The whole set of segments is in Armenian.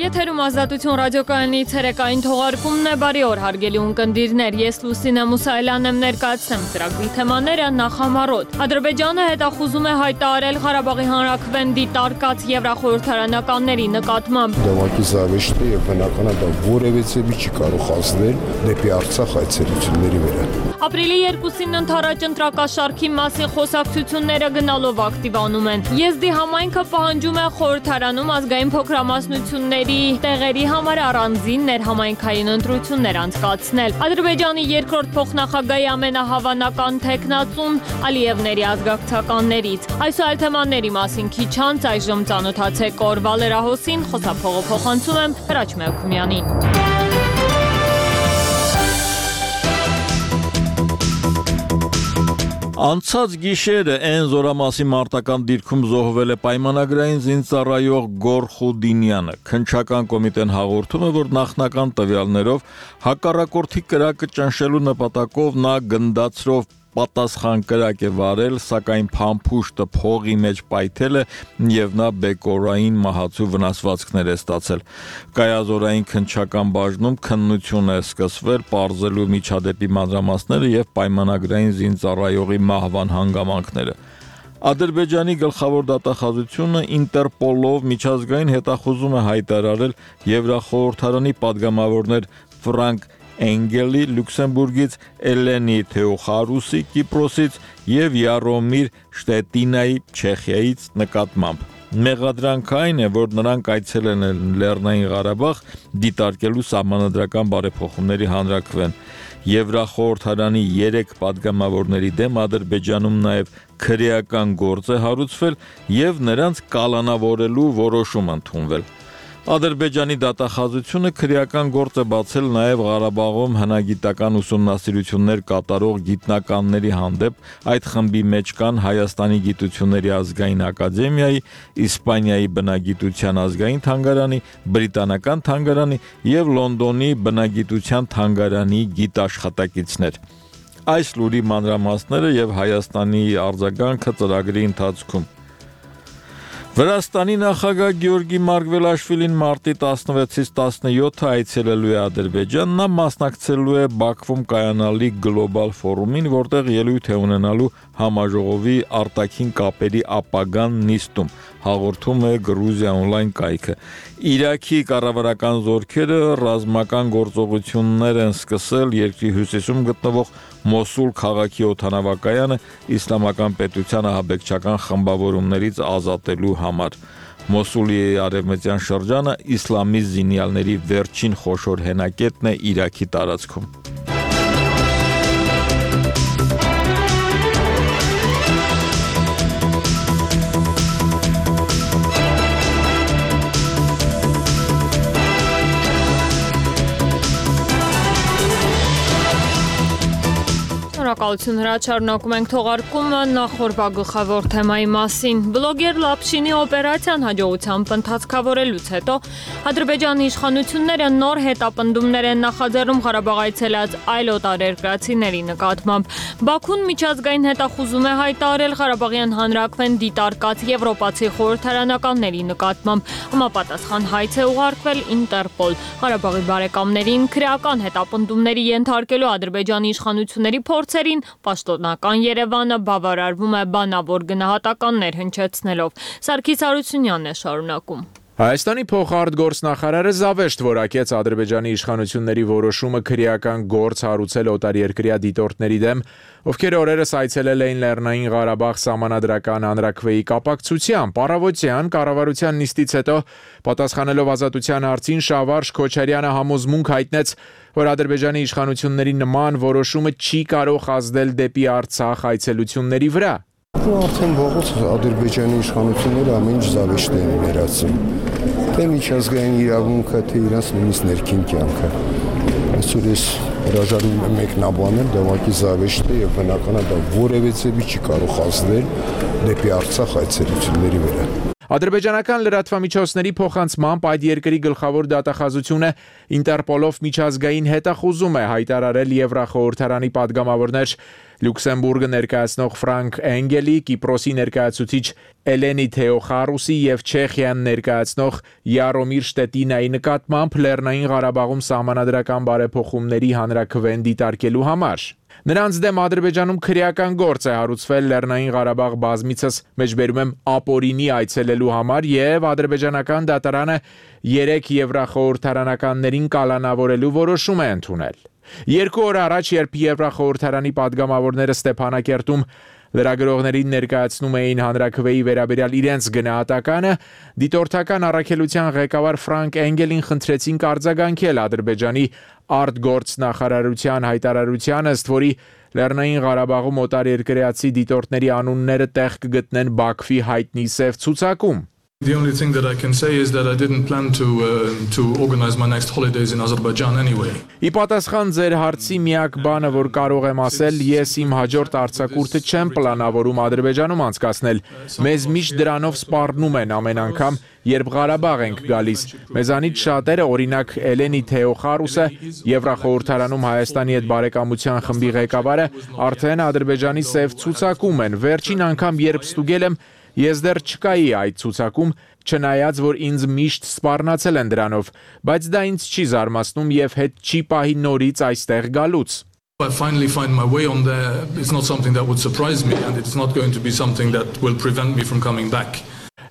Եթերում ազատություն ռադիոկայանի ցերեկային թողարկումն է, բարի օր հարգելի ունկնդիրներ, ես Լուսինե Մուսայելյանն եմ ներկայացնում ծրագրի թեմաները նախամարոտ։ Ադրբեջանը հետախուզում է հայտարարել Ղարաբաղի հանրաքվեն դիտարկած եվրախորհրդարանականների նկատմամբ։ Դավակի զավեշտը եւ բնական է դա որևէ չի կարող ազդել դեպի Արցախ այցելությունների վրա։ Ապրիլի 2-ին ընթരാճ ընտրակաշարքի մասին խոսակցությունները գնալով ակտիվանում են։ Եզդի համայնքը պահանջում է խորհրդարանում ազգային փոքրամասնությունների տեղերի համար առանձին ներհամայնքային ընտրություններ անցկացնել։ Ադրբեջանի երկրորդ փոխնախագահի ամենահավանական թեկնածուն Ալիևների ազգակցականներից։ Այս ու այլ թեմաների մասին քիչ անց այժմ ծանոթացեք օրվա լրահոսին, խոսափողը փոխանցում եմ Հրաչ Մելքումյանին։ Անցած գիշերը այն զորամասի մարտական դիրքում զոհվել է պայմանագրային զինծառայող Գորխուդինյանը։ Քննչական կոմիտեն հաղորդում է, որ նախնական տվյալներով հակառակորդի կրակը ճնշելու նպատակով նա գնդացրով պատասխան կրակ է վարել, սակայն փամփուշտը փողի մեջ պայթել է եւ նա բեկորային մահացու վնասվածքներ է ստացել։ Կայազորային քննչական բաժնում քննություն է սկսվել պարզելու միջադեպի մանրամասները եւ պայմանագրային զինծառայողի մահվան հանգամանքները։ Ադրբեջանի գլխավոր դատախազությունը Ինտերպոլով միջազգային հետախուզում է հայտարարել Եվրախորհրդարանի падգամավորներ Ֆրանկ Էնգելի Լյուքսեմբուրգից, Էլենի Թեոխարուսի Կիպրոսից եւ Յարոմիր Շտետինայի Չեխիայից նկատմամբ։ Մեղադրանքը այն է, որ նրանք այցելել են Լեռնային Ղարաբաղ դիտարկելու սահմանադրական բարեփոխումների հանրաքվեն։ Եվրախորհրդարանի 3 падգամավորների դեմ Ադրբեջանում նաև քրեական գործ է հարուցվել եւ նրանց կալանավորելու որոշում ընդունվել։ Ադրբեջանի դատախազությունը քրեական գործ է բացել նաև Ղարաբաղում հնագիտական ուսումնասիրություններ կատարող գիտնականների հանդեպ, այդ խմբի մեջ կան Հայաստանի գիտությունների ազգային ակադեմիայի, Իսպանիայի բնագիտության ազգային թանգարանի, Բրիտանական թանգարանի եւ Լոնդոնի բնագիտության թանգարանի գիտաշխատակիցներ։ Այս լուրի մանրամասները եւ Հայաստանի արձագանքը ծրագրի ընթացքում։ Վրաստանի նախագահ Գեորգի Մարգվելաշվիլին մարտի 16-ից 17-ը այցելելու է Ադրբեջան, նա մասնակցելու է Բաքվում կայանալիք գլոբալ ֆորումին, որտեղ ելույթ է ունենալու համաժողովի արտաքին կապերի ապագան նիստում, հաղորդում է Գրուզիա օնլայն կայքը։ Իրաքի կառավարական զորքերը ռազմական գործողություններ են սկսել երկրի հյուսիսում գտնվող Մոսուլ քաղաքի օդանավակայանը իսլամական պետության ահաբեկչական խմբավորումներից ազատելու համար։ Մոսուլի արևմտյան շրջանը իսլամի զինյալների վերջին խոշոր հենակետն է Իրաքի տարածքում։ Շնորհակալություն Հրաչ, շարունակում ենք թողարկումը նախորդ գլխավոր թեմայի մասին։ Բլոգեր Լապշինի օպերացիան հաջողությամբ ընթացքավորելուց հետո Ադրբեջանի իշխանությունները նոր հետապնդումներ են նախաձեռնում Ղարաբաղ այցելած այլ օտարերկրացիների նկատմամբ։ Բաքուն միջազգային հետախուզում է հայտարարել Ղարաբաղյան հանրաքվեն դիտարկած եվրոպացի խորհրդարանականների նկատմամբ։ Համապատասխան հայց է ուղարկվել Ինտերպոլ։ Ղարաբաղի բարեկամներին քրեական հետապնդումների ենթարկելու Ադրբեջանի իշխանությունների փորձերին պաշտոնական Երևանը բավարարվում է բանավոր գնահատականներ հնչեցնելով։ Սարգիս Հարությունյանն է շարունակում։ Հայաստանի փոխարտգործնախարարը զավեշտ որակեց Ադրբեջանի իշխանությունների որոշումը քրեական գործ հարուցել օտարերկրյա դիտորդների դեմ, ովքեր օրերս այցելել էին Լեռնային Ղարաբաղ սահմանադրական հանրաքվեի կապակցությամբ։ Առավոտյան կառավարության նիստից հետո պատասխանելով ազատության հարցին Շավարժ Քոչարյանը համոզմունք հայտնեց, որ Ադրբեջանի իշխանությունների նման որոշումը չի կարող ազդել դեպի Արցախ այցելությունների վրա։ Արդեն վաղուց Ադրբեջանի իշխանությունները ամեն ինչ զավեշտ են ներածում։ Թե միջազգային իրավունքը, թե իրանց նույնիսկ ներքին կյանքը։ Այսօր ես հրաժարվում եմ մեկնաբանել դավակի զավեշտը եւ բնական է դա որևէ չի կարող ազդել դեպի Արցախ այցելությունների վրա։ Ադրբեջանական լրատվամիջոցների փոխանցմամբ այդ երկրի գլխավոր դատախազությունը Ինտերպոլով միջազգային հետախուզում է հայտարարել Եվրախորհրդարանի падգամավորներ Լյուքսեմբուրգը ներկայացնող Ֆրանկ Էնգելի, Կիպրոսի ներկայացուցիչ Էլենի Թեոխարուսի եւ Չեխիան ներկայացնող Յարոմիր Շտետինայի նկատմամբ Լեռնային Ղարաբաղում սահմանադրական բարեփոխումների հանրաքվեն դիտարկելու համար։ Նրանց դեմ Ադրբեջանում քրեական գործ է հարուցվել Լեռնային Ղարաբաղ բազմիցս մեջբերում եմ ապօրինի այցելելու համար եւ ադրբեջանական դատարանը 3 եվրախորհրդարանականներին կալանավորելու որոշում է ընդունել։ 2 օր առաջ, երբ Եվրախորհրդարանի падգամավորները Ստեփանակերտում լրագրողներին ներկայացնում էին հանրաքվեի վերաբերյալ իրենց գնահատականը, դիտորդական առաքելության ղեկավար Ֆրանկ Էնգելին խնդրեցին արձագանքել Ադրբեջանի արտգործնախարարության հայտարարությանը, ըստ որի Լեռնային Ղարաբաղում օտարերկրացի դիտորդների անունները տեղ կգտնեն Բաքվի հայտնի սև ցուցակում։ The only thing that I can say is that I didn't plan to organize my next holidays in Azerbaijan anyway. Ի պատասխան ձեր հարցի միակ բանը, որ կարող եմ ասել, ես իմ հաջորդ արձակուրդը չեմ պլանավորում Ադրբեջանում անցկացնել։ Մեզ միշտ դրանով սպառնում են ամեն անգամ, երբ Ղարաբաղ ենք գալիս։ Մեզանից շատերը, օրինակ Էլենի Թեոխարուսը, Եվրախորհրդարանում Հայաստանի հետ բարեկամության խմբի ղեկավարը, արդեն Ադրբեջանի սև ցուցակում են։ Վերջին անգամ երբ ստուգել եմ, ես դեռ չկայի այդ ցուցակում, չնայած որ ինձ միշտ սպառնացել են դրանով, բայց դա ինձ չի զարմացնում եւ հետ չի պահի նորից այստեղ գալուց։ I finally find my way on there. It's not something that would surprise me and it's not going to be something that will prevent me from coming back.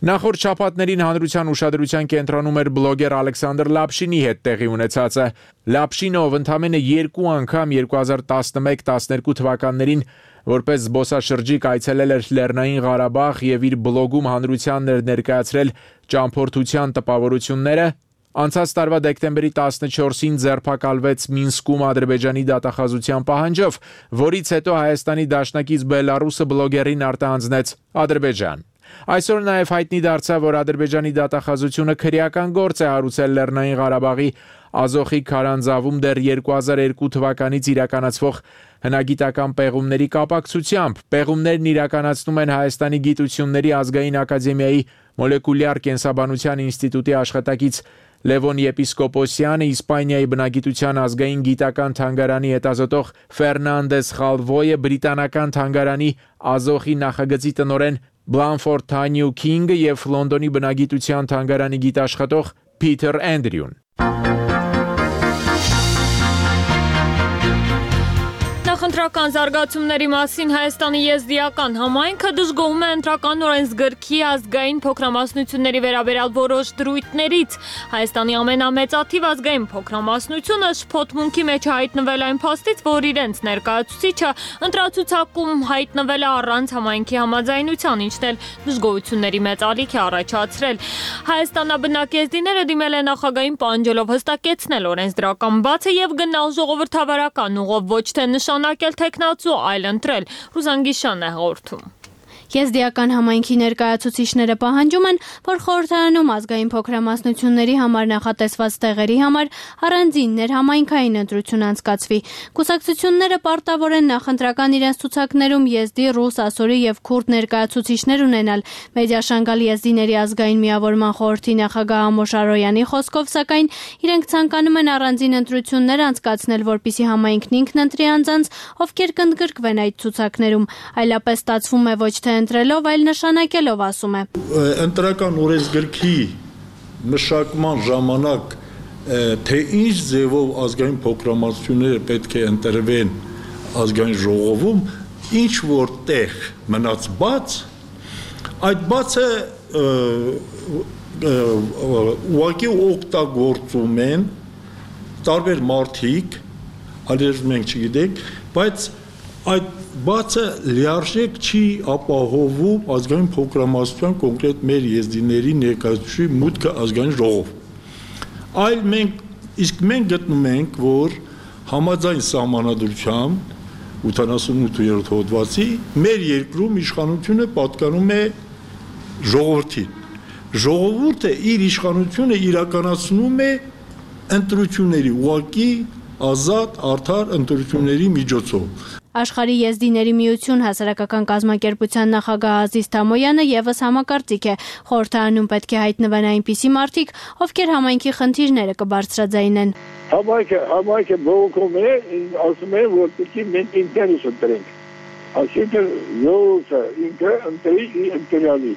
Նախորդ շաբաթներին հանրության ուշադրության կենտրոնում էր բլոգեր Ալեքսանդր Լապշինի հետ տեղի ունեցածը։ Լապշինով ընդամենը 2 անգամ 2011-12 թվականներին որպես զբոսաշրջիկ այցելել էր Լեռնային Ղարաբաղ եւ իր բլոգում հանրությանն էր ներկայացրել ճամփորդության տպավորությունները։ Անցած տարվա դեկտեմբերի 14-ին ձերբակալվեց Մինսկում Ադրբեջանի դատախազության պահանջով, որից հետո Հայաստանի դաշնակից Բելարուսը բլոգերին արտահանձնեց Ադրբեջան։ Այսօր նաև հայտնի դարձավ, որ Ադրբեջանի դատախազությունը քրեական գործ է հարուցել Լեռնային Ղարաբաղի Ազոխի քարանձավում դեռ 2002 թվականից իրականացվող հնագիտական պեղումների կապակցությամբ։ Պեղումներն իրականացնում են Հայաստանի Գիտությունների ազգային ակադեմիայի մոլեկուլյար կենսաբանության ինստիտուտի աշխատակից Լևոն Եպիսկոպոսյանը, Իսպանիայի բնագիտության ազգային գիտական թանգարանի հետազոտող Ֆերնանդես Խալվոյը, բրիտանական թանգարանի Ազոխի նախագծի տնօրեն Բլանֆորդ Թանյու Քինգը եւ Լոնդոնի բնագիտության թանգարանի գիտաշխատող Փիթեր Էնդրյուն։ Նախընտրական զարգացումների մասին Հայաստանի եզդիական համայնքը դժգոհում է ընտրական օրենսգրքի ազգային փոքրամասնությունների վերաբերյալ որոշ դրույթներից։ Հայաստանի ամենամեծաթիվ ազգային փոքրամասնությունը շփոթմունքի մեջ հայտնվել այն փաստից, որ իրենց ներկայացուցիչը ընտրացուցակում հայտնվել է առանց համայնքի համաձայնության, ինչն էլ դժգոհությունների մեծ ալիք է առաջացրել։ Հայաստանաբնակ եզդիները դիմել են նախագահին պահանջելով հստակեցնել օրենսդրական բացը եւ գնալ ժողովրդավարական ուղով, ոչ թե նշանակել թեկնածու, այլ ընտրել։ Ռուզանգիշանն է հաղորդում։ Եզդիական համայնքի ներկայացուցիչները պահանջում են, որ խորհրդարանում ազգային փոքրամասնությունների համար նախատեսված տեղերի համար առանձին ներհամայնքային ընտրություն անցկացվի։ Կուսակցությունները պարտավոր են նախընտրական իրենց ցուցակներում եզդի, ռուս, ասորի եւ քուրդ ներկայացուցիչներ ունենալ։ Մեդիաշանգալ եզդիների ազգային միավորման խորհրդի նախագահ Ամոշ Արոյանի խոսքով, սակայն իրենք ցանկանում են առանձին ընտրություններ անցկացնել, որպեսզի համայնքն ինքն ընտրի անձանց, ովքեր կընդգրկվեն այդ ցուցակներում։ Այլապես ստացվում է ոչ թե ընտրելով, այլ նշանակելով, ասում է։ Ընտրական օրենսգրքի մշակման ժամանակ թե ինչ ձևով ազգային փոքրամասնությունները պետք է ընտրվեն ազգային ժողովում, ինչ որ տեղ մնաց բաց, այդ բացը ուղղակի օգտագործում են տարբեր մարդիկ, այլև մենք չգիտենք, բայց այդ բացը լիարժեք չի ապահովում ազգային փոքրամասնության կոնկրետ մեր եզդիների ներկայացուցիչի մուտքը ազգային ժողով։ Այլ մենք գտնում ենք, որ համաձայն սահմանադրությամբ 88-րդ հոդվածի մեր երկրում իշխանությունը պատկանում է ժողովրդին։ Ժողովուրդը իր իշխանությունը իրականացնում է ընտրությունների ուղղակի ազատ, արդար ընտրությունների միջոցով։ Աշխարհի եզդիների միություն հասարակական կազմակերպության նախագահ Ազիզ Թամոյանը եւս համակարծիք է, խորհրդարանում պետք է հայտնվեն այնպիսի մարդիկ, ովքեր համայնքի խնդիրները կբարձրաձայնեն։ Համայնքը բողոքում է, ասում է, որ պետք է մենք ինքներս ընտրենք։ Այսինքն յոթը ինքը ընտրի ընտրյալի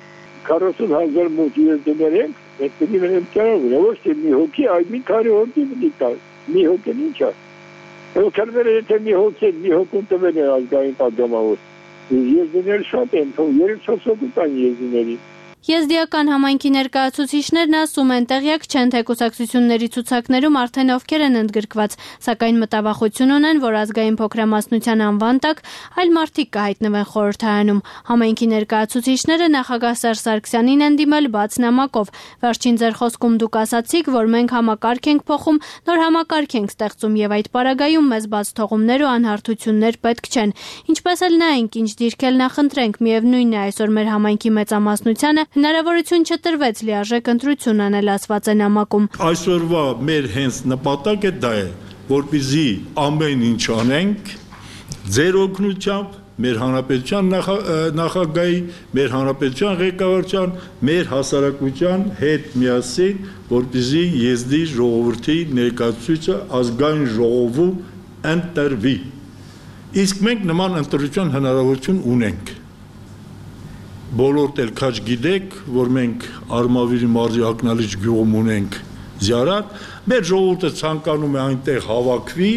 40,000 մոտ եզդներ ենք, այդ պիտի մենեմ ճարով, ոչ թե մի հոգի, այլ մի քանի հոգի պիտի տալ, մի հոգին ինչ է։ Քարվերը եթե մի հոգուն տվել է ազգային պատգամավոր, եզդներ շատ են, 3-4 հոգու տան եզդների։ Եզդիական համայնքի ներկայացուցիչներն ասում են տեղյակ չեն, թե կուսակցությունների ցուցակներում արդեն ովքեր են ընդգրկված, սակայն մտավախություն ունեն, որ ազգային փոքրամասնության անվան տակ այլ մարդիկ կհայտնվեն խորհրդարանում։ Համայնքի ներկայացուցիչները նախագահ Սերժ Սարգսյանին են դիմել բաց նամակով։ Վերջին ձեր խոսքում դուք ասացիք, որ մենք համակարգ ենք փոխում, նոր համակարգ ենք ստեղծում եւ այդ պարագայում մեզ բաց թողումներ ու անհարթություններ պետք չեն։ Ինչպես էլ նայենք, ինչ դիրքել նախընտրենք, միևնույնն է այսօր մեր համայնքի մեծամասնությանը հնարավորություն չտրվեց լիարժեք ընտրություն անել, ասված է նամակում։ Այսօրվա մեր հենց նպատակը դա է, որպեսզի ամեն ինչ անենք ձեր օգնությամբ, մեր հանրապետության նախագահի, մեր հանրապետության ղեկավարության, մեր հասարակության հետ միասին, որպեսզի եզդի ժողովրդի ներկայացուցիչը ազգային ժողովում ընտրվի։ Իսկ մենք նման ընտրության հնարավորություն ունենք։ Բոլորդ էլ քաչ գիտեք, որ մենք Արմավիրի մարզի Ակնալիչ գյուղում ունենք զիարատ, մեր ժողովուրդը ցանկանում է այնտեղ հավաքվի,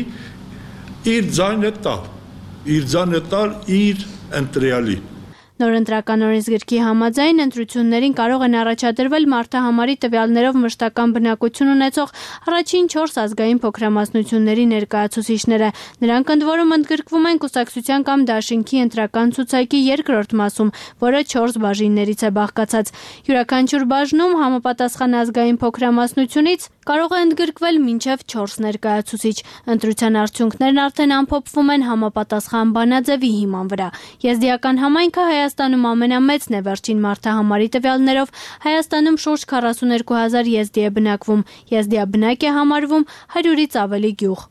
իր ձայնը տալ իր ընտրյալի։ Նոր ընտրական օրենսգրքի համաձայն ընտրություններին կարող են առաջադրվել մարդահամարի տվյալներով մշտական բնակություն ունեցող առաջին 4 ազգային փոքրամասնությունների ներկայացուցիչները։ Նրանք ընդ որում ընդգրկվում են կուսակցության կամ դաշինքի ընտրական ցուցակի երկրորդ մասում, որը 4 բաժիններից է բաղկացած։ Յուրաքանչյուր բաժնում համապատասխան ազգային փոքրամասնությունից կարող է ընդգրկվել մինչև 4 ներկայացուցիչ։ Ընտրության արդյունքներն արդեն ամփոփվում են համապատասխան բանաձևի հիման վրա։ Եզդիական համայնքը Հայաստանում ամենամեծն է վերջին մարդահամարի տվյալներով։ Հայաստանում շուրջ 42,000 եզդի է բնակվում։ Եզդիաբնակ է համարվում 100-ից ավելի գյուղ։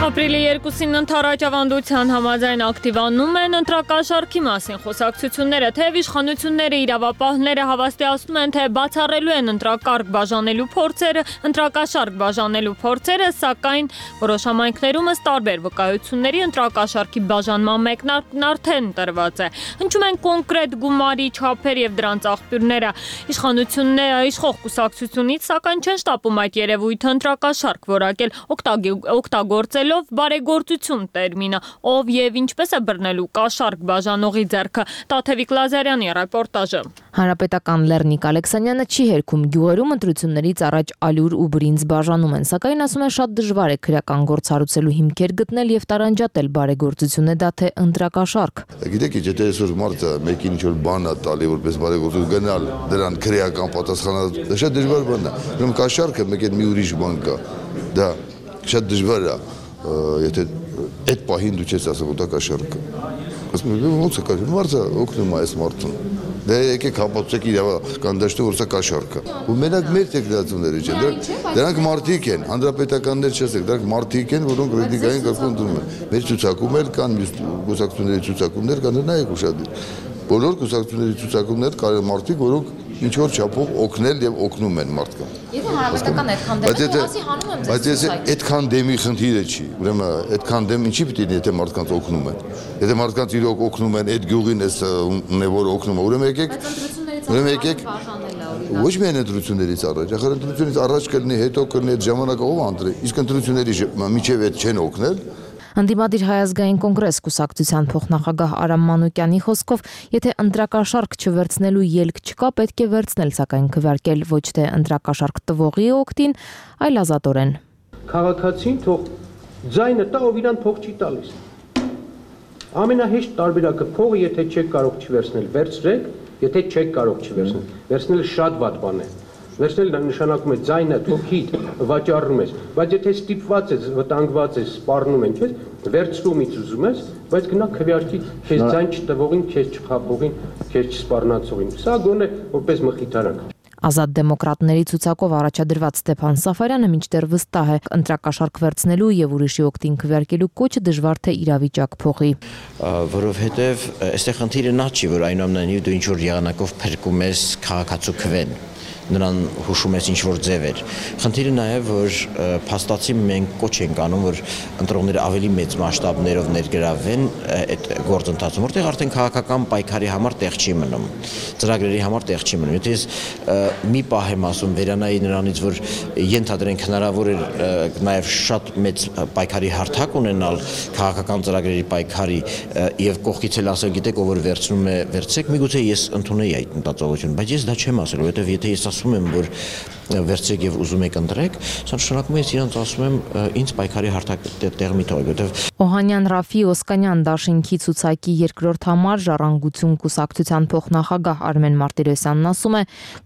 Ապրիլի 2-ին ընդառաջ ավանդության համաձայն ակտիվանում են ընտրակաշառքի մասին խոսակցությունները, թեև իշխանությունները իրավապահները հավաստիացնում են, թե բացառելու են ընտրակարգ բաժանելու փորձերը, սակայն որոշ համայնքներում ըստ տարբեր վկայությունների ընտրակաշառքի բաժանման մեկնարկն արդեն տրված է։ Հնչում են կոնկրետ գումարի չափեր եւ դրանց աղբյուրները։ Իշխող կուսակցությունից սակայն չեն շտապում այդ երևույթը ընտրակաշառք որակել, օգտագործելով բարեգործություն տերմինը, ով եւ ինչպես է բռնելու կաշառք բաժանողի ձեռքը։ Տաթևիկ Լազարյանի ռեպորտաժը։ Հանրապետական Լեռնիկ Ալեքսանյանը չի հերքում գյուղերում ընտրություններից առաջ ալյուր ու բրինձ բաժանում են, սակայն ասում է շատ դժվար է քրեական գործ հարուցելու հիմքեր գտնել եւ տարանջատել բարեգործություն է դա թե ընտրակաշառք։ Գիտեք, եթե այսօր մարդը մեկին ինչ-որ բան է տալի, որպես բարեգործություն գնալ դրան քրեական պատասխանատու, դա շատ դժվար բան է։ Ուրեմն կաշառքը մեկ էլ մի ուրիշ բան կա։ Դա շատ դժվար է, եթե այդ պահին դու չես ասում, դա կաշառք է։ Ասում եմ, ո՞նց է կաշառք, մարդը օգնում է այս մարդուն։ Դե եկեք հապացեք իրավական դաշտում, որ սա կաշառք է։ Ու մենակ մեր տեխնացիաները չեն, դրանք մարդիկ են, հանրապետականներ չասեք, դրանք մարդիկ են, որոնք ռեդիկային կարգում դնում են։ Մեր ցուցակում էլ կան կուսակցությունների ցուցակումներ կան, նայեք ուշադիր։ Բոլոր կուսակցությունների ցուցակումներ կան մարդիկ, որոնք ինչ որ չափով օգնել եւ օգնում են մարդկանց։ Եթե հանրապետական այդքան դեմ ասի հանում եմ ձեզ։ Բայց եթե այդքան դեմի խնդիրը չի, ուրեմն այդքան դեմ ինչի պիտի լինի, եթե մարդկանց օգնում են։ Եթե մարդկանց իրոք օգնում են, այդ գյուղին էս ունե որ օգնում է, ուրեմն եկեք ոչ միայն ընտրություններից առաջ, ախր ընտրությունից առաջ կլինի, հետո կլինի, այդ ժամանակով ընտրի։ Իսկ ընտրությունների միջև այդ չեն օգնել։ Ընդդիմադիր Հայազգային կոնգրես կուսակցության փոխնախագահ Արամ Մանուկյանի խոսքով, եթե ընտրակաշառք չվերցնելու ելք չկա, պետք է վերցնել, սակայն քվեարկել ոչ թե ընտրակաշառք տվողի օգտին, այլ ազատորեն։ Քաղաքացին թող ձայնը տա, ով իրան փող չի տալիս։ Ամենահեշտ տարբերակը փողը, եթե չեք կարող չվերցնել, վերցրեք, եթե չեք կարող չվերցնել, վերցնելը շատ վատ բան է։ Վերցնել նշանակում է ձայնը թոքիդ վաճառում ես, բայց եթե ստիպված ես, վտանգված ես, սպառնում են քեզ, վերցրումից ուզում ես, բայց գնա քվեարկի քեզ ձայն չտվողին, քեզ չխաբողին, քեզ չսպառնացողին։ Սա գոնե որպես մխիթարակ։ Ազատ դեմոկրատների ցուցակով առաջադրված Ստեփան Սաֆարյանը մինչդեռ վստահ է, ընտրակաշառք վերցնելու եւ ուրիշի օգտին քվեարկելու կոչը դժվար թե իրավիճակ փոխի։ Որովհետեւ այստեղ խնդիրը նա չի, որ այնուամենայնիվ դու ինչ որ եղանակով փրկում ես քաղաքացու քվեն։ նրան հուշում ես ինչ-որ ձևեր։ Խնդիրը նաև, որ փաստացի մենք կոչ ենք անում, որ ընտրողները ավելի մեծ մասշտաբներով ներգրավվեն այդ գործընթացում, որտեղ արդեն քաղաքական պայքարի համար տեղ չի մնում, ծրագրերի համար տեղ չի մնում։ Եթե ես մի պահ եմ ասում վերանայի նրանից, որ ենթադրենք հնարավոր էր նաև շատ մեծ պայքարի հարթակ ունենալ քաղաքական ծրագրերի պայքարի եւ կողքից էլ ասել, գիտեք, ով որ վերցնում է, վերցեք, միգուցե ես ընդունեի այդ մտածողությունը, բայց ես դա չեմ ասել, որովհետեւ եթե ես ասում եմ, որ վերցեք եւ ուզում եք ընտրեք, սա նշանակում է ես իրանց ասում եմ ինձ պայքարի հարթակ տեղ մի թողեք, որովհետեւ Օհանյան Ռաֆի Օսկանյան դաշինքի ցուցակի երկրորդ համար Ժառանգություն կուսակցության փոխնախագահ Արմեն Մարտիրոսյանն ասում է,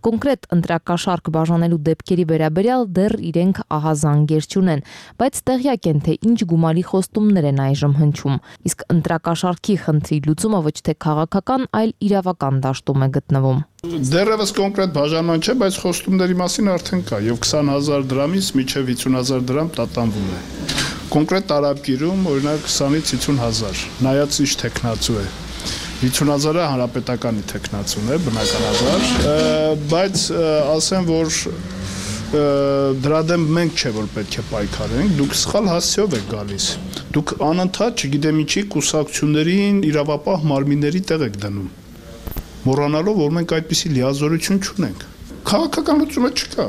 կոնկրետ ընտրակաշարք բաժանելու դեպքերի վերաբերյալ դեռ իրենք ահազանգեր չունեն, բայց տեղյակ են, թե ինչ գումարի խոստումներ են այժմ հնչում։ Իսկ ընտրակաշարքի խնդրի լուծումը ոչ թե քաղաքական, այլ իրավական դաշտում է գտնվում։ Դեռևս կոնկրետ բաժանման չէ, բայց խոստումների մասին արդեն կա եւ 20,000 դրամից մինչեւ 50,000 դրամ տատանվում է։ Կոնկրետ տարապկիրում օրինակ 20-ից 50,000, նայած ինչ տեխնացու է։ 50,000-ը հանրապետականի տեխնացուն է, բնականաբար, բայց ասեմ, որ դրա դեմ մենք չէ որ պետք է պայքարենք, դուք սխալ հասցեով եք գալիս։ Դուք անընդհատ, չգիտեմ ինչի, կուսակցություններին իրավապահ մարմինների տեղ եք դնում։ Մոռանալով, որ մենք այդպիսի լիազորություն չունենք։ Քաղաքական լուծումը չկա։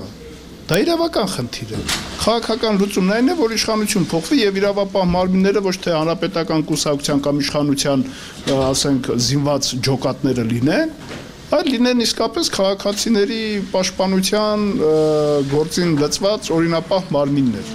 Դա իրավական խնդիր է։ Քաղաքական լուծումն այն է, որ իշխանություն փոխվի եւ իրավապահ մարմինները ոչ թե հանրապետական կուսակցության կամ իշխանության, ասենք, զինված ջոկատները լինեն, այլ լինեն իսկապես քաղաքացիների պաշտպանության գործին լծված օրինապահ մարմիններ։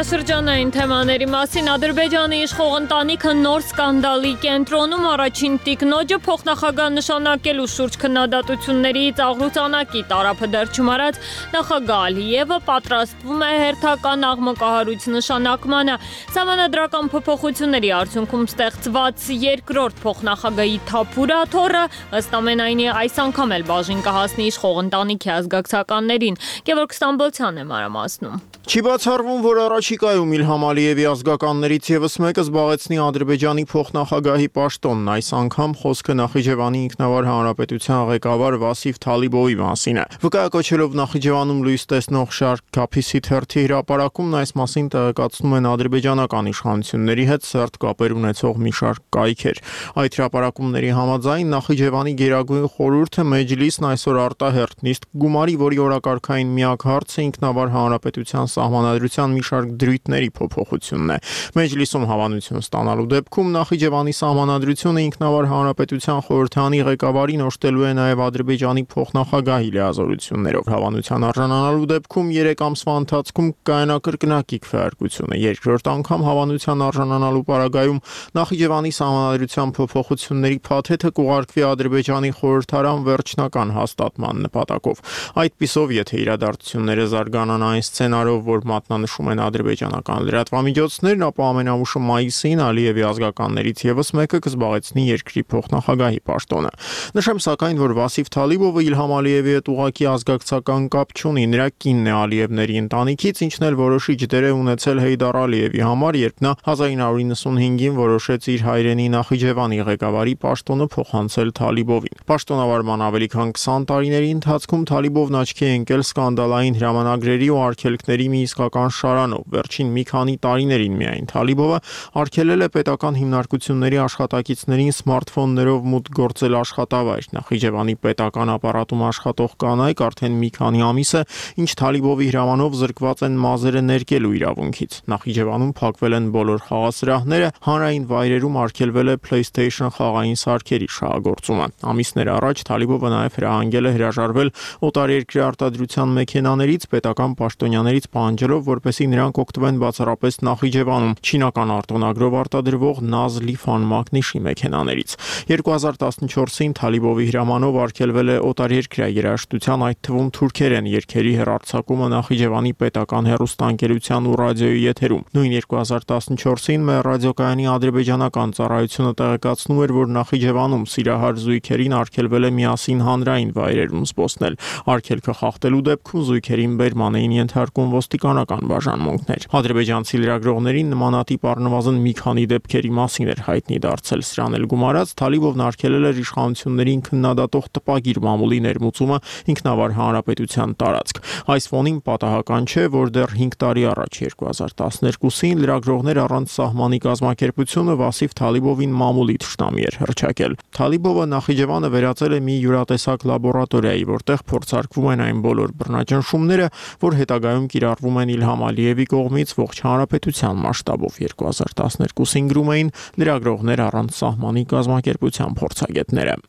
Շրջանային թեմաների մասին Ադրբեջանի իշխող ընտանիքը նոր սկանդալի կենտրոնում առաջին տիկնոջը փոխնախագահ նշանակելու շուրջ քննադատությունների ծաղրուցանակի տարափը դեռ չմարած նախագահ Ալիևը պատրաստվում է հերթական աղմկահարույց նշանակմանը։ Սահմանադրական փոփոխությունների արդյունքում ստեղծված երկրորդ փոխնախագահի թափուրաթոռը ըստ ամենայնի այս անգամ էլ բաժին կհասնի իշխող ընտանիքի ազգակցականներին։ Գևորգ Ստամբոլցյանն է մանրամասնում։ Չի բացառվում, որ առաջիկայում Իլհամ Ալիևի ազգականներից եւս մեկը զբաղեցնի Ադրբեջանի փոխնախագահի պաշտոնն, այս անգամ խոսքը Նախիջևանի ինքնավար հանրապետության ղեկավար Վասիֆ Թալիբովի մասին է։ Վկայակոչելով Նախիջևանում լույս տեսնող շարք Քափիսի թերթի հրապարակումն այս մասին տեղեկացնում են ադրբեջանական իշխանությունների հետ սերտ կապեր ունեցող մի շարք կայքեր։ Այդ հրապարակումների համաձայն Նախիջևանի գերագույն խորհուրդը Մեջլիսն այսօր արտահերտ նիստ գումարի, որի օրակարգային միակ հարցը ինքնավար հանրապետության սահմանադրության մի շարք դրույթների փոփոխությունն է։ Մեջլիսում հավանություն ստանալու դեպքում Նախիջևանի սահմանադրությունը ինքնավար հանրապետության խորհրդանի ղեկավարին օժտելու է նաև Ադրբեջանի փոխնախագահի լիազորություններով։ Հավանության արժանանալու դեպքում 3 ամսվա ընթացքում կայանա կրկնակի քվեարկությունը։ Երկրորդ անգամ հավանության արժանանալու պարագայում Նախիջևանի սահմանադրության փոփոխությունների փաթեթը կուղարկվի Ադրբեջանի խորհրդարան վերջնական հաստատման նպատակով։ Այդպիսով, եթե իրադարձությունները զարգանան այն սցենարով, որ մատնանշում են ադրբեջանական լրատվամիջոցներն, ապա ամենաուշը մայիսին Ալիևի ազգականներից եւս մեկը կզբաղեցնի երկրի փոխնախագահի պաշտոնը։ Նշեմ սակայն, որ Վասիֆ Թալիբովը Իլհամ Ալիևի հետ ուղղակի ազգակցական կապ չունի, նրա կինն է Ալիևների ընտանիքից, ինչն էլ որոշիչ դեր է ունեցել Հեյդար Ալիևի համար, երբ նա 1995-ին որոշեց իր հայրենի Նախիջևանի ղեկավարի պաշտոնը փոխանցել Թալիբովին։ Պաշտոնավարման ավելի քան 20 տարիների ընթացքում Թալիբովն աչքի է ընկել սկանդալային հրամանագրերի ու արգելքների մի իսկական շարանով։ Վերջին մի քանի տարիներին միայն Թալիբովը արգելել է պետական հիմնարկությունների աշխատակիցներին սմարթֆոններով մուտք գործել աշխատավայր։ Նախիջևանի պետական ապարատում աշխատող կանայք արդեն մի քանի ամիս է, ինչ Թալիբովի հրամանով զրկված են մազերը ներկելու իրավունքից։ Նախիջևանում փակվել են բոլոր խաղասրահները, հանրային վայրերում արգելվել է PlayStation խաղային սարքերի շահագործումը։ Ամիսներ առաջ Թալիբովը նաև հրահանգել է հրաժարվել օտարերկրյա արտադրության մեքենաներից, պետական պաշտոնյաներից պահանջելով, որպեսզի նրանք օգտվեն բացառապես Նախիջևանում չինական արտոնագրով արտադրվող Նազլիֆան մագնիշի մեքենաներից։ 2014-ին Թալիբովի հրամանով արգելվել է օտարերկրյա երաժշտության, այդ թվում թուրքերեն երգերի հեռարձակումը Նախիջևանի պետական հեռուստաընկերության ու ռադիոյի եթերում։ Նույն 2014-ին մեր ռադիոկայանի ադրբեջանական ծառայությունը տեղեկացնում էր, որ Նախիջևանում սիրահար զույգերին արգելվել է միասին հանրային վայրերում զբոսնել։ Արգելքը խախտելու դեպքում զույգերին բերման էին ենթարկում ոստիկանական բաժանմունքներ։ Ադրբեջանցի լրագրողներին նմանատիպ առնվազն մի քանի դեպքերի մասին էր հայտնի դարձել։ Սրան էլ գումարած Թալիբովն արգելել էր իշխանություններին քննադատող տպագիր մամուլի ներմուծումը ինքնավար հանրապետության տարածք։ Այս ֆոնին պատահական չէ, որ դեռ 5 տարի առաջ 2012-ին լրագրողներ առանց սահմանի կազմակերպությունը Վասիֆ Թալիբովին մամուլի թշնամի էր հռչակել։ Թալիբովը Նախիջևանը վերածել է մի յուրատեսակ լաբորատորիայի, որտեղ փորձարկվում են այն բոլոր բռնաճնշումները, որ հետագայում կիրառվում են Իլհամ Ալիևի կողմից ողջ հանրապետության մասշտաբով 2012-ին գրում էին լրագրողներ առանց սահմանի կազմակերպության փորձագետները։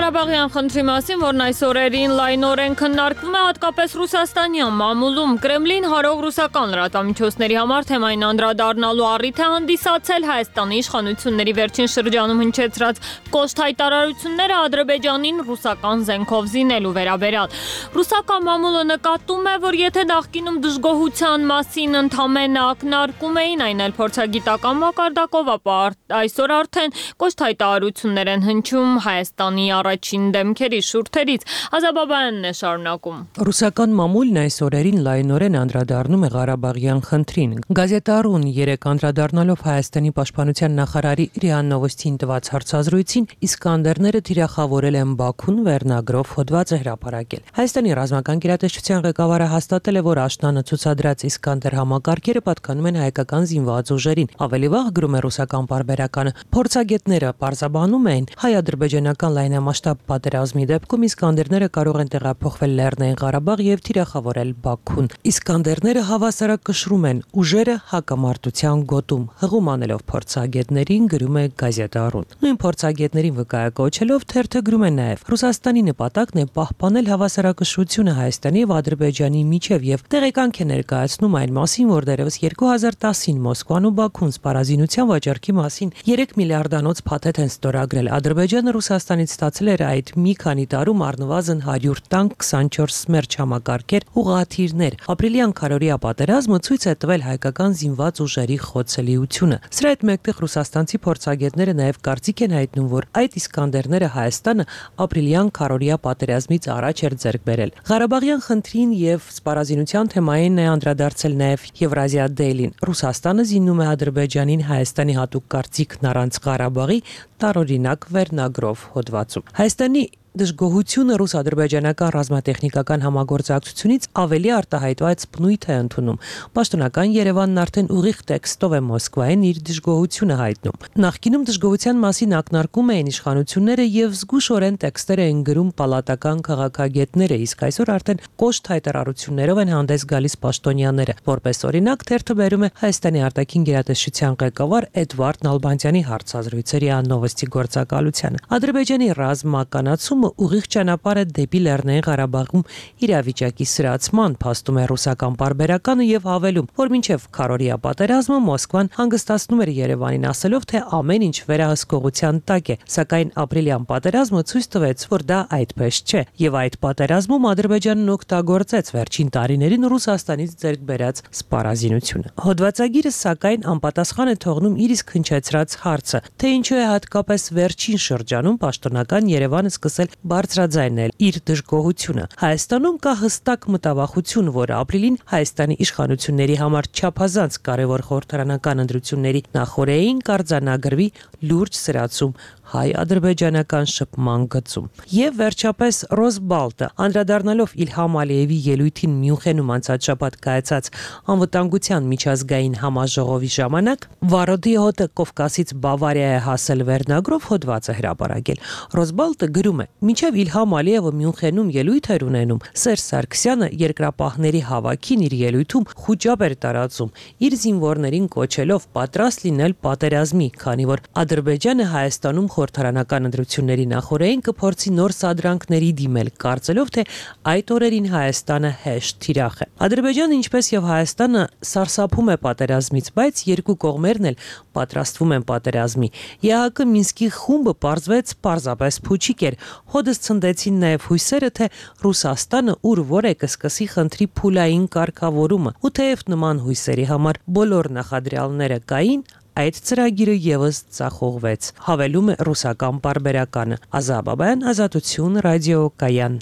Ղարաբաղյան խնդրի մասին, որն այս օրերին լայնորեն քննարկվում է հատկապես ռուսաստանյան մամուլում, Կրեմլին հարող ռուսական լրատվամիջոցների համար թեմային անդրադառնալու առիթ է հանդիսացել Հայաստանի իշխանությունների վերջին շրջանում հնչեցրած կոշտ հայտարարությունները Ադրբեջանին ռուսական զենքով զինելու վերաբերյալ։ Ռուսական մամուլը նկատում է, որ եթե նախկինում դժգոհության մասին ընդամենը ակնարկում էին, այն էլ փորձագիտական մակարդակով, ապա այսօր արդեն կոշտ հայտարարություններ են հնչում Հայաստանի առաջին դեմքերի շուրթերից։ Ազաբաբյանն է շարունակում։ Ռուսական մամուլն այս օրերին լայնորեն անդրադառնում է Ղարաբաղյան խնդրին։ Գազետարուն 3 անդրադառնալով Հայաստանի պաշտպանության նախարարի ՌԻԱ Նովոստին տված հարցազրույցին, Իսկանդերները թիրախավորել են Բաքուն վերնագրով հոդված է հրապարակել։ Հայաստանի ռազմական գերատեսչության ղեկավարը հաստատել է, որ աշնանը ցուցադրած Իսկանդեր համակարգերը պատկանում են հայկական զինված ուժերին։ Ավելի վաղ գրում է ռուսական պարբերականը, փորձագետները պարզաբանում են, հայ-ադրբեջանական լայնամասշտաբ պատերազմի դեպքում Իսկանդերները կարող են տեղափոխվել Լեռնային Ղարաբաղ եւ թիրախավորել Բաքուն։ Իսկանդերները հավասարակշռում են ուժերը հակամարտության գոտում, հղում անելով փորձագետներին, գրում է Գազետարուն։ Նույն փորձագետներին վկայակոչելով թերթը գրում է նաեւ Ռուսաստանի նպատակն է պահպանել հավասարակշռությունը Հայաստանի եւ Ադրբեջանի միջև եւ տեղեկանք է ներկայացնում այն մասին, որ դեռևս 2010-ին Մոսկվան ու Բաքուն սպառազինության վաճառքի մասին 3 միլիարդանոց փաթեթ են ստորագրել։ Ադրբեջանը Ռուսաստանից ստացել էր այդ մի քանի տարում առնվազն 100 տանկ, 24 սմերջ համակարգեր, ուղղաթիռներ։ Ապրիլյան քարորիա պատերազմը ցույց է տվել հայկական զինված ուժերի խոցելիությունը։ Սրա հետ մեկտեղ ռուսաստանցի փորձագետները նաև կարծիք են հայտնում, որ այդ Իսկանդերները Հայաստանը ապրիլյան քարորիա պատերազմից առաջ էր ձեռք բերել։ Ղարաբաղյան խնդրին եւ սպառազինության թեմային է անդրադարձել նաև Եվրազիա Դեյլին։ Ռուսաստանը զիննում է Ադրբեջանին Հայաստանի հատուկ կարծիքն առանց Ղարաբաղի տարօրինակ վերնագրով հոդվածում։ Հայաստանի դժգոհությունը ռուս-ադրբեջանական ռազմատեխնիկական համագործակցությունից ավելի արտահայտված բնույթ է ընդունում։ Պաշտոնական Երևանն արդեն ուղիղ տեքստով է Մոսկվային իր դժգոհությունը հայտնում։ Նախկինում դժգոհության մասին ակնարկում էին իշխանությունները եւ զգուշորեն տեքստեր էին գրում պալատական քաղաքագետները, իսկ այսօր արդեն կոշտ հայտարարություններով են հանդես գալիս պաշտոնյաները։ Որպես օրինակ, թերթը բերում է Հայաստանի արտաքին գերատեսչության ղեկավար Էդվարդ Նալբանդյանի հարցազրույցերի աննովոստի գործակալությանը։ Ադրբեջանի ռազմականացումը ուղիղ ճանապարհ է դեպի Լեռնային Ղարաբաղում իրավիճակի սրացման, փաստում է ռուսական պարբերականը եւ հավելում, որ մինչեւ քարորիա պատերազմը Մոսկվան հանգստացնում էր Երևանին, ասելով, թե ամեն ինչ վերահսկողության տակ է, սակայն ապրիլյան պատերազմը ցույց տվեց, որ դա այդպես չէ, եւ այդ պատերազմում Ադրբեջանն օգտագործեց վերջին տարիներին Ռուսաստանից ձեռք բերած սպառազինությունը։ Հոդվածագիրը սակայն անպատասխան է թողնում իր իսկ հնչեցրած հարցը, թե ինչու է հատկապես վերջին շրջանում պաշտոնական Երևանը սկսել բարձրաձայնել իր դժգոհությունը։ Հայաստանում կա հստակ մտավախություն, որ ապրիլին Հայաստանի իշխանությունների համար չափազանց կարևոր խորհրդարանական ընտրությունների նախօրեին կարձանագրվի լուրջ սրացում հայ-ադրբեջանական շփման գծում։ Եվ վերջապես Ռոսբալտը, անդրադառնալով Իլհամ Ալիևի ելույթին Մյունխենում անցած շաբաթ կայացած անվտանգության միջազգային համաժողովի ժամանակ, Վարոդի հոտը Կովկասից Բավարիա է հասել վերնագրով հոդված է հրապարակել։ Ռոսբալտը գրում է. «Մինչև Իլհամ Ալիևը Մյունխենում ելույթ էր ունենում, Սերժ Սարգսյանը երկրապահների հավաքին իր ելույթում խուճապ էր տարածում, իր զինվորներին կոչելով պատրաստ լինել պատերազմի, քանի որ Ադրբեջանը Հայաստանում խորհրդարանական ընտրությունների նախօրեին կփորձի նոր սադրանքների դիմել, կարծելով, թե այդ օրերին Հայաստանը հեշտ թիրախ է։ Ադրբեջանը, ինչպես եւ Հայաստանը, սարսափում է պատերազմից, բայց երկու կողմերն էլ պատրաստվում են պատերազմի։ ԵԱՀԿ Մինսկի խումբը պարզվեց պարզապես փուչիկ էր։ Հոդս ցնդեցին նաեւ հույսերը, թե Ռուսաստանը ուր որ է կսկսի խնդրի փուլային կարգավորումը, ու թեև նման հույսերի համար բոլոր նախադրյալները կային, այդ ծրագիրը եւս ծախողվեց, հավելում է ռուսական պարբերականը։ Ազաբաբյան, Ազատություն, ռադիո Կայան։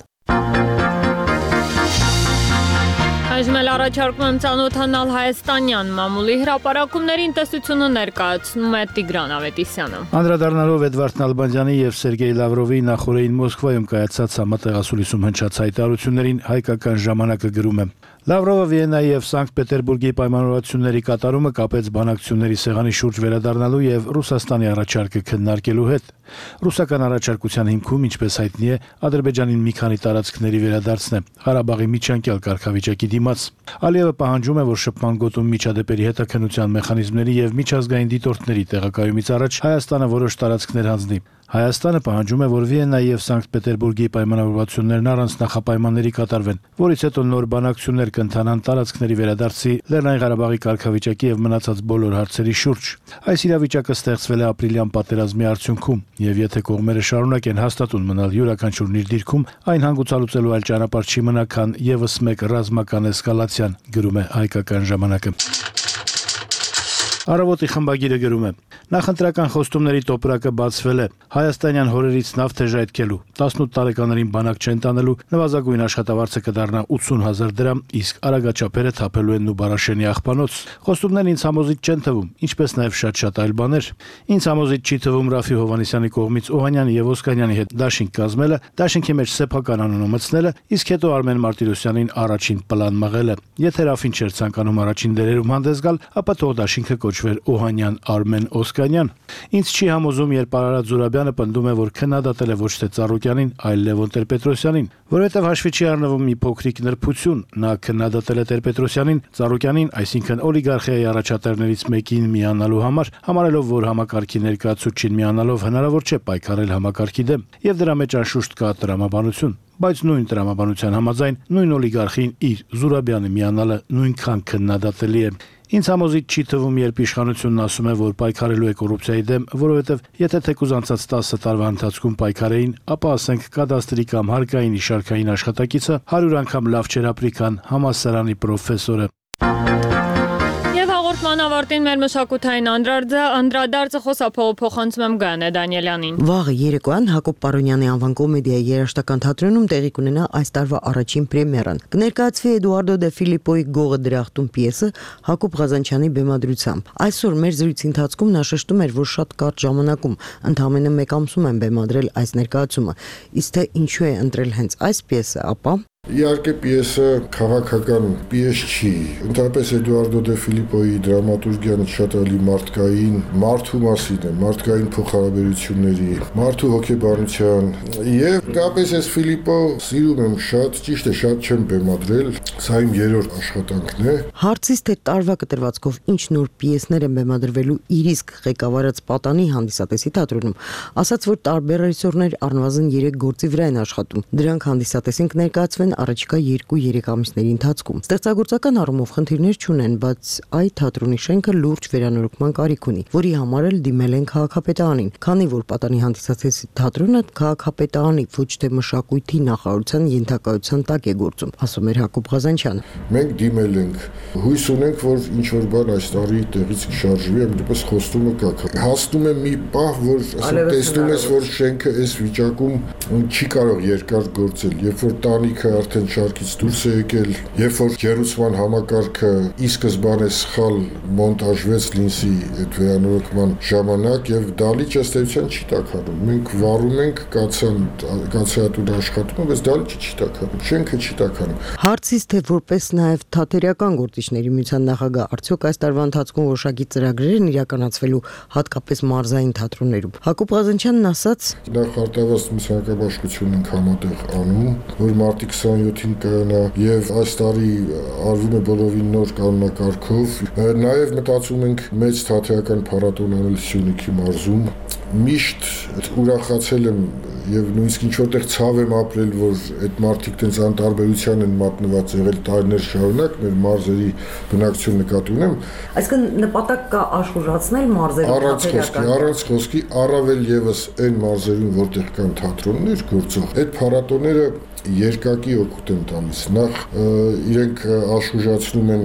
Այժմ էլ առաջարկում եմ ծանոթանալ հայաստանյան մամուլի հրապարակումներին, տեսությունը ներկայացնում է Տիգրան Ավետիսյանը։ Անդրադառնալով Էդվարդ Նալբանդյանի եւ Սերգեյ Լավրովի նախորդին Մոսկվայում կայացած համատեղասուլիսում հնչած հայտարարություններին հայկական ժամանակը գրում է. Լավրովը Վիեննայի եւ Սանկտ Պետերբուրգի պայմանավորվածությունների կատարումը կապեց բանակցությունների սեղանի շուրջ վերադառնալու եւ Ռուսաստանի առաջարկը քննարկելու հետ։ Ռուսական առաջարկության հիմքում, ինչպես հայտնի է, Ադրբեջանին մի քանի տարածքների վերադարձն է Ղարաբաղի միջանկյալ կարգավիճակի դիմաց։ Ալիևը պահանջում է, որ շփման գոտում միջադեպերի հետաքննության մեխանիզմների եւ միջազգային դիտորդների տեղակայումից առաջ Հայաստանը որոշ տարածքներ հանձնի։ Հայաստանը պահանջում է, որ Վիեննայի եւ Սանկտ Պետերբուրգի պայմանավորվածություններն առանց նախապայմանների կատարվեն, որից հետո նոր բանակցություններ կընթանան տարածքների վերադարձի, Լեռնային Ղարաբաղի կարգավիճակի եւ մնացած բոլոր հարցերի շուրջ։ Այս իրավիճակը ստեղծվել է ապրիլյան պատերազմի արդյունքում, եւ եթե կողմերը շարունակեն հաստատուն մնալ յուրաքանչյուրն իր դիրքում, այն հանգուցալուծելու այլ ճանապարհ չի մնա, քան եւս մեկ ռազմական էսկալացիան, գրում է հայկական ժամանակը։ Առավոտի խմբագիրը գրում է. Նախընտրական խոստումների տոպրակը բացվել է։ Հայաստանյան հորերից նավ թեժայթքելու, 18 տարեկաներին բանակ չեն տանելու, նվազագույն աշխատավարձը կդառնա 80,000 դրամ, իսկ արագաչափերը թափելու են Նուբարաշենի աղբանոց։ Խոստումներն ինձ համոզիչ չեն թվում, ինչպես նաև շատ այլ բաներ։ Ինձ համոզիչ չի թվում Ռաֆի Հովհաննիսյանի կողմից Օհանյանի եւ Օսկանյանի հետ դաշինք կազմելը, դաշինքի մեջ սեփական անունը մտցնելը, իսկ հետո Արմեն Մարտիրոսյանին առաջին պլան մղելը։ Եթե Ռաֆին չէր ցանկանում առաջին դերերում հանդես գալ, ապա թող դաշինքը կոչվեր Օհանյան Արմեն Օսկանյան։ Ինձ չի համոզում, երբ Արարատ Զուրաբյանը պնդում է, որ քննադատել է ոչ թե Ծառուկյանին, այլ Լևոն Տեր-Պետրոսյանին, որովհետև հաշվի չի առնվում մի փոքրիկ նրբություն։ Նա քննադատել է Տեր-Պետրոսյանին, Ծառուկյանին, այսինքն օլիգարխիայի առաջատարներից մեկին միանալու համար, համարելով, որ համակարգի ներկայացուցչին միանալով հնարավոր չէ պայքարել համակարգի դեմ, եւ դրա մեջ անշուշտ կա տրամաբանություն։ Բայց նույն տրամաբանության համաձայն նույն օլիգարխին իր Զուրաբյանը միանալը նույնքան քննադատելի է։ Ինձ համոզիչ չի թվում, երբ իշխանությունն ասում է, որ պայքարելու է կոռուպցիայի դեմ, որովհետև եթե թեկուզ անցած 10 տարվա ընթացքում պայքարեին, ապա ասենք կադաստրի կամ հարկային իշարքային աշխատակիցը 100 անգամ լավ չէր ապրի, քան համալսարանի պրոֆեսորը։ Հաղորդման ավարտին մեր մշակութային անդրադարձը խոսափողը փոխանցում եմ Գայանե Դանիելյանին։ Վաղը երեկոյան Հակոբ Պարոնյանի անվան կոմեդիայի երաժշտական թատրոնում տեղի կունենա այս տարվա առաջին պրեմիերան։ Կներկայացվի Էդուարդո դե Ֆիլիպոյի Գողը դրախտում պիեսը Հակոբ Ղազանչյանի բեմադրությամբ։ Այսօր մեր զրույցի ընթացքում նա շեշտում էր, որ շատ կարճ ժամանակում, ընդամենը 1 ամսում են բեմադրել այս ներկայացումը։ Իսկ թե ինչու է ընտրել հենց այս պիեսը, ապա Իհարկե պիեսը քաղաքական պիես չի։ Ընդհանրապես Էդուարդո դե Ֆիլիպոյի դրամատուրգիան շատ ավելի մարդկային, մարդու մասին է, մարդկային փոխհարաբերությունների, մարդու հոգեբանության եւ դեպս ես Ֆիլիպո սիրում եմ շատ, ճիշտ է, շատ չեմ բեմադրել, սա իմ երրորդ աշխատանքն է։ Հարցից թե տարվա կտրվածքով ինչ նոր պիեսներ են բեմադրվելու իր իսկ ղեկավարած Պատանի հանդիսատեսի թատրոնում, ասաց, որ տարբեր ռեժիսորներ առնվազն 3 գործի վրա են աշխատում։ Դրանք հանդիսատեսին կներկայացվեն առաջիկա 2-3 ամիսների ընթացքում։ Ստեղծագործական առումով խնդիրներ չունեն, բայց այդ թատրոնի շենքը լուրջ վերանորոգման կարիք ունի, որի համար էլ դիմել են քաղաքապետարանին, քանի որ Պատանի հանդիսատեսի թատրոնը քաղաքապետարանի ոչ թե մշակույթի նախարարության ենթակայության տակ է գործում, ասում էր Հակոբ Ղազանչյանը։ Մենք դիմել ենք, հույս ունենք, որ ինչ որ բան այս տարի տեղից կշարժվի, այնպես խոստումը կա։ Հասնում է մի պահ, որ տեսնում ես, որ շենքը այս վիճակում չի կարող երկար գործել, երբ որ տանիքը արդեն շարքից դուրս է եկել, երբ որ ջերուցման համակարգը ի սկզբանե սխալ մոնտաժվեց Լինսի այդ վերանորոգման ժամանակ եւ դալիճ ըստ էության չի տաքանում։ Մենք վառում ենք կացեատուր աշխատումը, բայց դալիճը չի տաքանում, շենքը չի տաքանում։ Հարցից թե որպես նաեւ թատերական գործիչների միության նախագահ արդյոք այս տարվա ընթացքում որոշակի ծրագրեր են իրականացվելու հատկապես մարզային թատրոններում, Հակոբ Ղազանչյանն ասաց. Նախ արտավազդ մսակաբաշխություն ենք համատեղ անում, որ մարտի 27-ին կայանա եւ այս տարի արվում է բոլորին նոր կանոնակարգով։ Նաեւ մտածում ենք մեծ թատերական փառատոն անել Սյունիքի մարզում։ Միշտ ուրախացել եմ եւ նույնիսկ ինչ որտեղ ցավ եմ ապրել, որ այդ մարդիկ տենց անտարբերության են մատնված եղել տարիներ շարունակ, մեր մարզերի բնակչություն նկատի ունեմ։ Այսինքն նպատակ կա աշխուժացնել մարզերի թատերական։ Առանց խոսքի, առավել եւս այն մարզերում, որտեղ կան թատրոններ գործող, այդ փառատոները երկակի օգուտ են տալիս։ Նախ իրենք աշխուժացնում են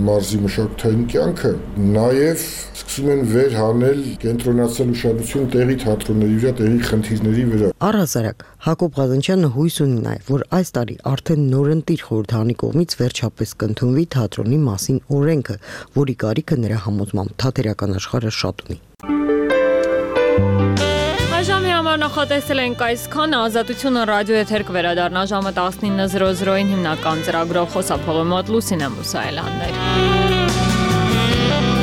մարզի մշակութային կյանքը, նաև սկսում են վերհանել կենտրոնացնել ուշադրություն տեղի թատրոնների վրա, տեղի խնդիրների վրա։ Առհասարակ Հակոբ Ղազանչյանը հույս ունի նաև, որ այս տարի արդեն նորընտիր խորհրդանի կողմից վերջապես կընդունվի թատրոնի մասին օրենքը, որի կարիքը նրա համոզմամբ թատերական աշխարհը շատ ունի։ Ժամի համար նախատեսել ենք այսքանը, Ազատությունը ռադիո եթեր կվերադառնա ժամը 19:00-ին հիմնական ծրագրով, խոսափողի մոտ Լուսինե Մուսայելյաններ։